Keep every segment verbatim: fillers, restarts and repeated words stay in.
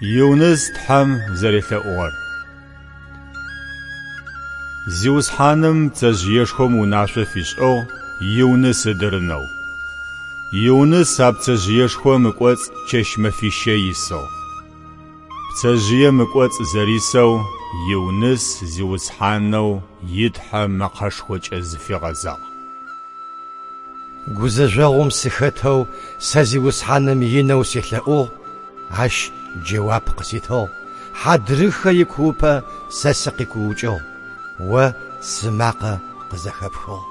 Юныс Тхьэм зэрелъэӏугъэр. Зиусхьаным пцэжъыешхом унашъо фишӏыгъ Юныс ыдырынэу. Юныс а пцэжъыешхом ыкӏоцӏ чэщ-мэфищэ исыгъ. Пцэжъыем ыкӏоцӏ зэрисэу Юныс Зиусхьанэу и Тхьэ мэкъэшхокӏэ зыфигъэзагъ. Гузэжъогъум сыхэтэу сэ Зиусхьаным инэу селъэӏугъ, ащ джэуап къыситыгъ. Хьадрыхэ икуупӏэ сэ сыкъикуукӏыгъ, о сымакъэ къызэхэпхыгъ.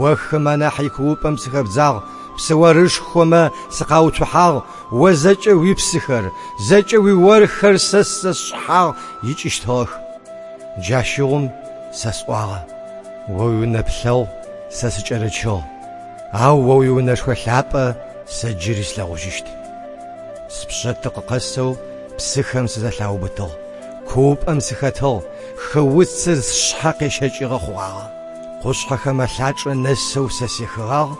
О хым анахь икуупӏэм сыхэбдзагъ, псыорышхомэ сыкъауцухьагъ, о зэкӏэ уипсыхэр, зэкӏэ уиорхэр сэ сшъхьагъ икӏыщтыгъэх. Джащыгъум сэ сӏуагъэ: о уинэплъэгъу сэ сыкӏэрычыгъ, ау о уиунэшхо лъапӏэ сэ джыри слъэгъужьыщт. Спшъэ тыкъэсэу псыхэм сызэлъаубытыгъ, куупӏэм сыхэтыгъ, хыуцыр сшъхьэ къещэкӏыгъэ хъугъагъэ. Къушъхьэхэм алъачӏэ нэсэу сэ сехыгъагъ,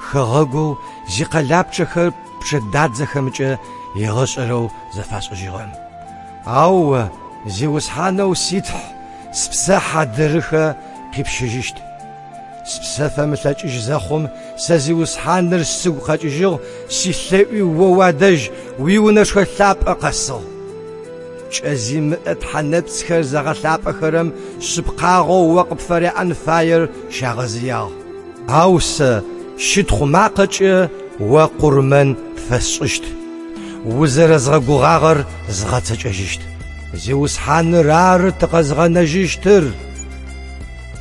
хэгъэгоу зикъэлапчъэхэр пчъэдадзэхэмкӏэ егъэшӏэрэу зэфашӏыжьыгъэм. Ау о, Зиусхьанэу си Тхь, спсэ хьадырыхэ къипщыжьыщт. Спсэ фэмылъэкӏыжь зэхъум сэ Зиусхьаныр сыгу къэкӏыжьыгъ, силъэӏуи о уадэжь уиунэшхо лъапӏэ къэсыгъ. Пкӏэ зимыӏэ тхьэнэпцӏхэр зыгъэлъапӏэхэрэм шъыпкъагъэу о къыпфыряӏэн фаер щагъэзыягъ. Ау сэ щытхъу макъэкӏэ о къурмэн пфэсшӏыщт. Узэрэзгъэгугъагъэр згъэцэкӏэжьыщт. Зиусхьаныр ары тыкъэзгъэнэжьыщтыр.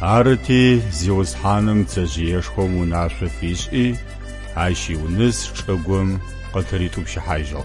Арыти Зиусхьаным пцэжъыешхом унашъо фишӏи, ащ Юныс чӏыгум къытыритӏупщыхьажьыгъ.